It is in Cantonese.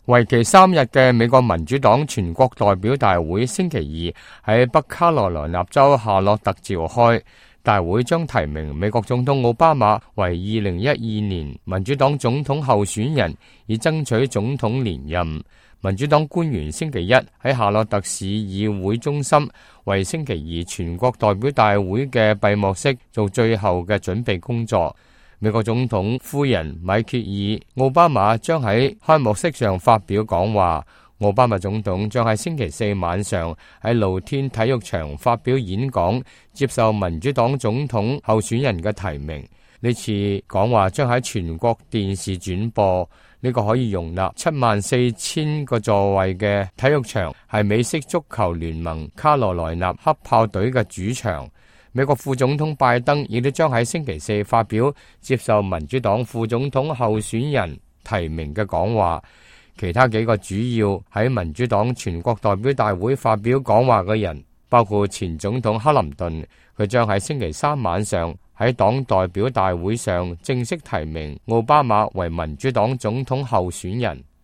為期3日嘅美國民主黨全國代表大會星期二喺北卡羅來納州夏洛特召開，大會將提名美國總統奧巴馬為2012年民主黨總統候選人，以爭取總統連任。民主黨官員星期一喺夏洛特市議會中心為星期二全國代表大會嘅閉幕式做最後嘅準備工作。美國總統夫人米歇爾·奧巴馬將喺開幕式上發表講話。奧巴馬總統將喺星期四晚上喺露天體育場發表演講，接受民主黨總統候選人嘅提名。呢次講話將喺全國電視轉播。呢個可以容納74,000個座位嘅體育場係美式足球聯盟卡羅來納黑豹隊嘅主場。美國副總統拜登亦都將喺星期四發表接受民主黨副總統候選人提名嘅講話。其他幾個主要喺民主黨全國代表大會發表講話嘅人，包括前總統克林頓，佢將喺星期三晚上喺黨代表大會上正式提名奧巴馬為民主黨總統候選人。